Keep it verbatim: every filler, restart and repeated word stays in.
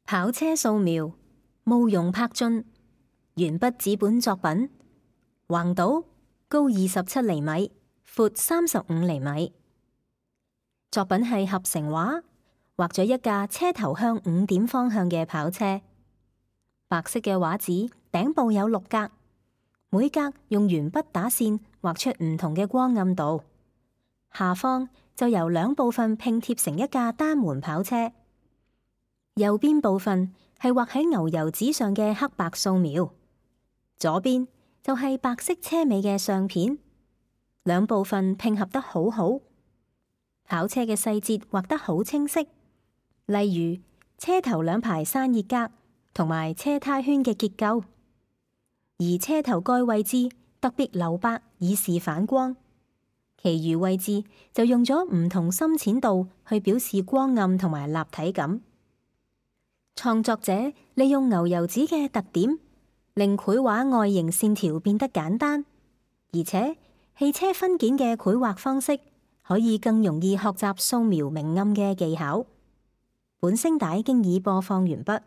跑車素描，慕容柏進，鉛筆紙本作品，橫島，高二十七厘米，闊三十五厘米。作品係合成畫，畫咗一架車頭向五點方向嘅跑車。白色嘅畫紙頂部有六格，每格用鉛筆打線畫出唔同嘅光暗度。下方就由兩部分拼貼成一架單門跑車。右邊部分係畫喺牛油紙上嘅黑白素描，左邊就係白色車尾嘅相片，兩部分拼合得好好。跑車嘅細節畫得好清晰，例如車頭兩排散熱格同埋車胎圈嘅結構，而車頭蓋位置特別留白以示反光，其餘位置就用咗唔同深淺度去表示光暗同埋立體感。創作者利用牛油紙嘅特點，令繪畫外形線條變得簡單，而且汽車分件嘅繪畫方式可以更容易學習素描明暗嘅技巧。本聲帶經已播放完畢。